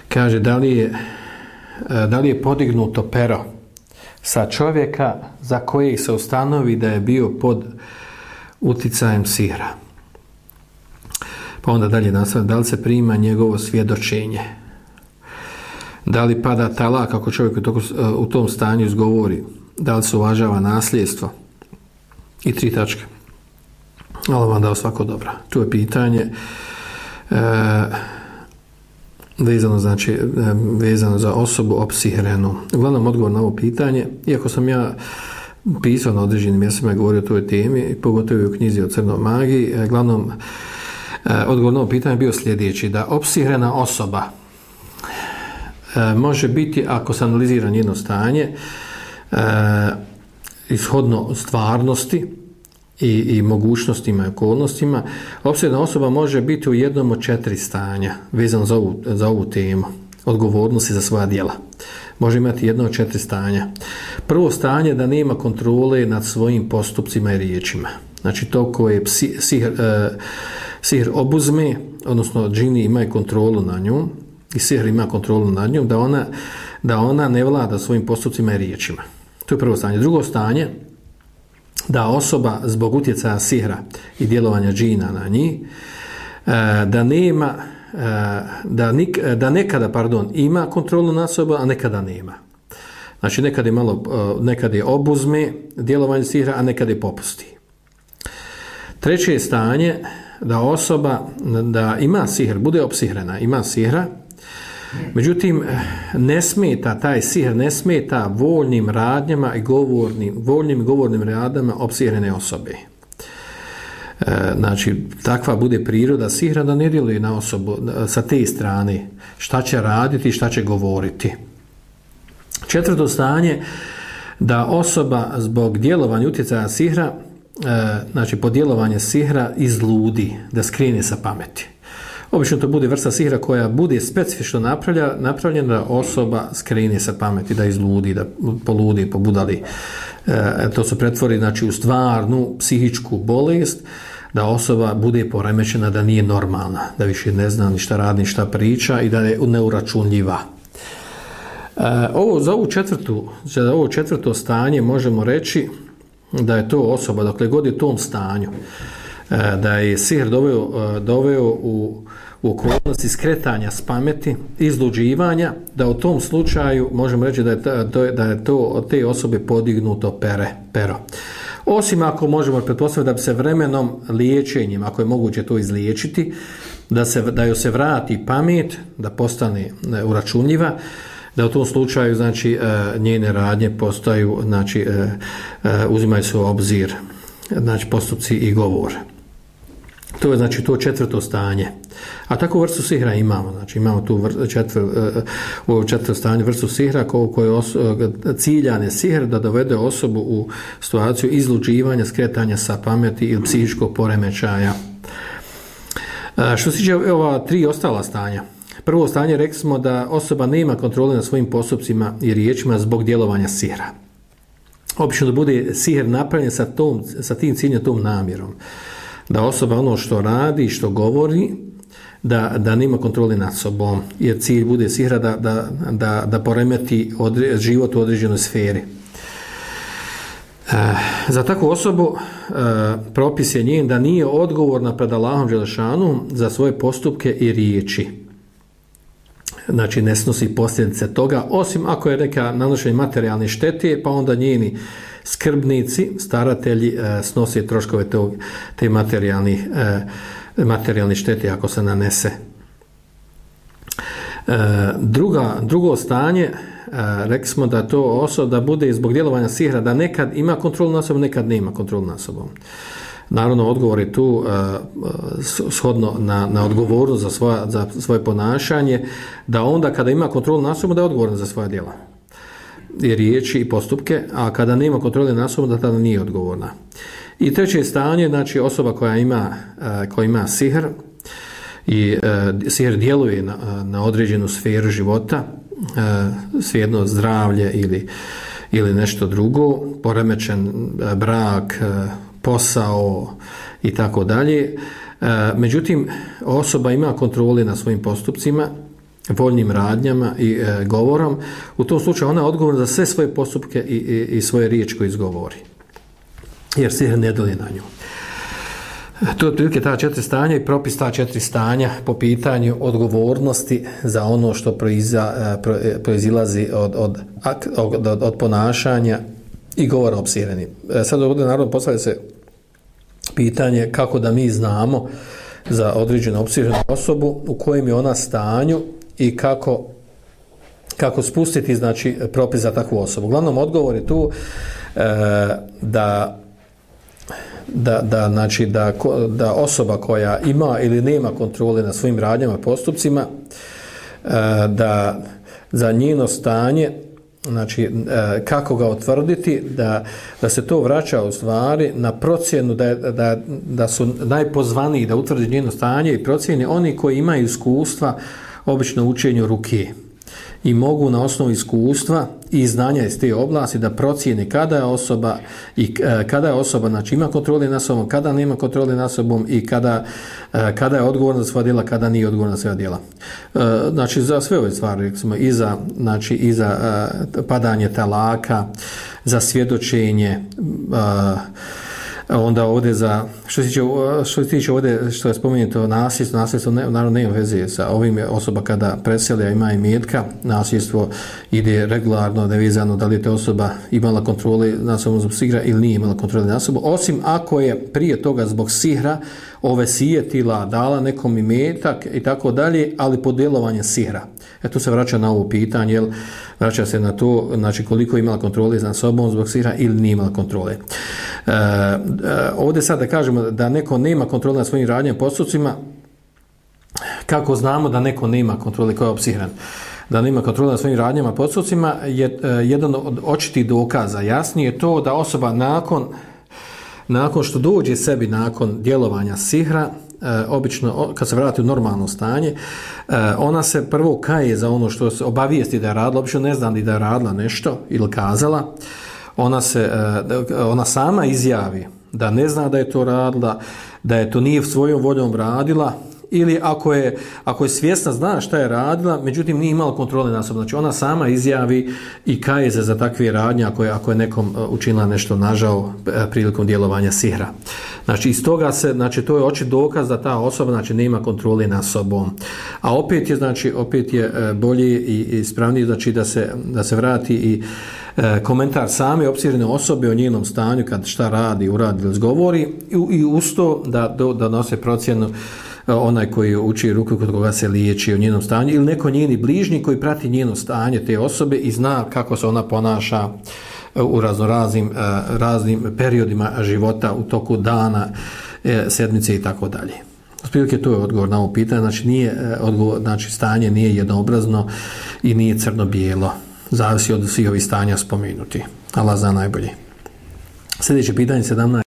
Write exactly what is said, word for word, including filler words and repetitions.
Kaže, da li je, da li je podignuto pero sa čovjeka za kojeg se ustanovi da je bio pod uticajem sihra. Pa onda dalje nastavlja, da li se prima njegovo svjedočenje, da li pada talak ako čovjek u tom stanju izgovori, da li se uvažava nasljedstvo i tri tačke. Ali vam dao svako dobro. Tu je pitanje e, vezano, znači, vezano za osobu opsihrenu. Uglavnom odgovor na ovo pitanje, iako sam ja pisao na određenim mjestima i govorio o toj temi, pogotovo u knjizi o crnoj magiji, uglavnom odgovor na ovo pitanje bio sljedeći, da opsihrena osoba može biti, ako se analizira njeno stanje, ishodno stvarnosti i, i mogućnostima i okolnostima, opsihrena osoba može biti u jednom od četiri stanja vezano za ovu, za ovu temu odgovornosti za svoja djela. Može imati jedno od četiri stanja. Prvo stanje da nema kontrole nad svojim postupcima i riječima. Znači to koje psi, sihr, e, sihr obuzme, odnosno džini imaju kontrolu na nju i sihr ima kontrolu nad njom, da ona, da ona ne vlada svojim postupcima i riječima. To je prvo stanje. Drugo stanje, da osoba zbog utjecaja sihra i djelovanja džina na njih, da nema, da, nik, da nekada, pardon, ima kontrolu nad sobom, a nekada nema. Znači nekad je malo, nekad je obuzme djelovanje sihra, a nekad je popusti. Treće je stanje, da osoba da ima sihr, bude opsihrena, ima sihra, međutim ne smeta, taj sihr ne smeta voljnim radnjama i govornim, voljnim i govornim radnjama opsihrene osobe. E, znači, takva bude priroda sihra da ne djeluje na osobu sa te strane, šta će raditi, šta će govoriti. Četvrto stanje, da osoba zbog djelovanja utjecaja sihra, e, znači po djelovanje sihra izludi, da skrene sa pameti. Obično to bude vrsta sihra koja bude specifično napravlja, napravljena da osoba skrene sa pameti, da izludi, da poludi, pobudali. E, to se pretvori, znači, u stvarnu psihičku bolest, da osoba bude poremećena, da nije normalna, da više ne zna ni šta radi, ni šta priča i da je neuračunljiva. E, ovo, za, ovu četvrtu, za ovo četvrto stanje možemo reći da je to osoba, dokle god je u tom stanju, da je sihr doveo, doveo u, u okolnosti skretanja s pameti, izluđivanja, da u tom slučaju možemo reći da je, ta, da je to od te osobe podignuto pere, pero. Osim ako možemo pretpostaviti da bi se vremenom liječenjem, ako je moguće to izliječiti, da, se, da joj se vrati pamet, da postane uračunljiva, da u tom slučaju, znači, njene radnje postaju, znači, uzimaju se u obzir, znači, postupci i govor. To je, znači, to četvrto stanje. A takvu vrstu sihra imamo. Znači, imamo tu vr, četvr, u četvrto stanje vrstu sihra koji je ciljan je sihr da dovede osobu u situaciju izluđivanja, skretanja sa pameti ili psihičkog poremećaja. Što se tiče ova tri ostala stanja. Prvo stanje, rekli smo da osoba nema kontrole nad svojim postupcima i riječima zbog djelovanja sihra. Obično da bude sihr napravljen sa, tom, sa tim ciljem, tom namjerom. Da osoba ono što radi, što govori, da, da nema kontrole nad sobom. Jer cilj bude sihra da, da, da, da poremeti odre, život u određenoj sferi. E, za takvu osobu e, propis je njen da nije odgovorna pred Allahom dželešanu za svoje postupke i riječi. Znači ne snosi posljedice toga, osim ako je neka nanošenje materijalne štete, pa onda njeni skrbnici, staratelji e, snose troškove tog, te materijalne e, materijalne štete ako se nanese. E, druga, drugo stanje, e, rekli smo da to osoba da bude zbog djelovanja sihra, da nekad ima kontrolu nad sobom, nekad nema kontrolu nad sobom. Naravno, odgovor je tu uh, shodno na, na odgovornost za, svoja, za svoje ponašanje, da onda kada ima kontrolu nad sobom, da je odgovoran za svoja djela i riječi i postupke, a kada nema kontrole nad sobom, da tada nije odgovorna. I treće stanje, znači osoba koja ima, uh, koja ima sihr i uh, sihr djeluje na, na određenu sferu života, uh, svejedno zdravlje ili, ili nešto drugo, poremećen uh, brak, uh, posao i tako dalje, Međutim, osoba ima kontrole na svojim postupcima, voljnim radnjama i e, govorom. U tom slučaju ona je odgovorna za sve svoje postupke i, i, i svoje riječi koje izgovori. Jer sihr ne doli na nju. To je otprilike ta četiri stanja i propis ta četiri stanja po pitanju odgovornosti za ono što proiza, pro, proizilazi od, od, od, od, od ponašanja i govora o psireni. Sad ovdje naravno postavlja se pitanje kako da mi znamo za određenu opsirenu osobu u kojem je ona stanju i kako, kako spustiti znači propis za takvu osobu. Uglavnom odgovor je tu e, da Da, da, znači da, da osoba koja ima ili nema kontrole na svojim radnjama, postupcima, da za njeno stanje, znači kako ga utvrditi, da, da se to vraća u stvari na procjenu, da, da, da su najpozvaniji da utvrdi njeno stanje i procjeni oni koji imaju iskustva obično u učenju ruke i mogu na osnovu iskustva i znanja iz te oblasti da procijene kada je osoba i kada je osoba znači ima kontrole nad sobom, kada nema kontrole nad sobom i kada, kada je odgovorna za svoja djela, kada nije odgovorna za svoja djela. Znači za sve ove stvari, recimo, i za, znači, i za padanje talaka, za svjedočenje, onda ovdje za što se tiče, što se tiče ovdje što je spomenuto nasljedstvo, nasljedstvo ne, naravno nema veze sa ovim, osoba kada preselja ima imetka, nasljedstvo ide regularno, nevezano da li je ta osoba imala kontrole nad sobom zbog sihra ili nije imala kontrole nad sobom, osim ako je prije toga zbog sihra ove sijetila, dala nekom imetak i tako dalje, ali pod djelovanjem sihra. E tu se vraća na ovo pitanje, jel, vraća se na to, znači koliko je imala kontrole nad sobom zbog sihra ili nije imala kontrole. E, e, ovdje sad da kažemo da neko nema kontrole nad svojim radnjama, postupcima, kako znamo da neko nema kontrole, ko je opsihran, da nema kontrole nad svojim radnjama, postupcima, je e, jedan od očitih dokaza. Jasnije je to da osoba nakon nakon što dođe sebi nakon djelovanja sihra, e, obično kad se vrati u normalno stanje, e, ona se prvo kaje za ono što se obavijesti da je radila, obično ne zna ni da je radila nešto ili kazala, ona, se, e, ona sama izjavi da ne zna da je to radila, da je to nije svojom voljom radila, ili ako je, ako je svjesna, zna šta je radila, međutim nije imala kontrole nad sobom. Znači ona sama izjavi i kaje se za takve radnje ako je, ako je nekom učinila nešto nažao prilikom djelovanja sihra. Znači iz toga se, znači to je očit dokaz da ta osoba znači nema kontrole nad sobom. A opet je, znači opet je bolje i ispravnije znači da se, da se vrati i e, komentar same opsirene osobe o njenom stanju kad šta radi, uradi ili zgovori i, i uz to da, da nose procjenu onaj koji uči ruku kod koga se liječi o njenom stanju ili neko njeni bližnji koji prati njeno stanje te osobe i zna kako se ona ponaša u raznoraznim raznim periodima života u toku dana, sedmice i tako dalje. Otprilike to je odgovor na ovo pitanje, znači nije odgovor, znači stanje nije jednoobrazno i nije crno-bijelo. Zavisi od svih ovih stanja spomenuti. Allah zna najbolje. Sljedeće pitanje sedamnaest.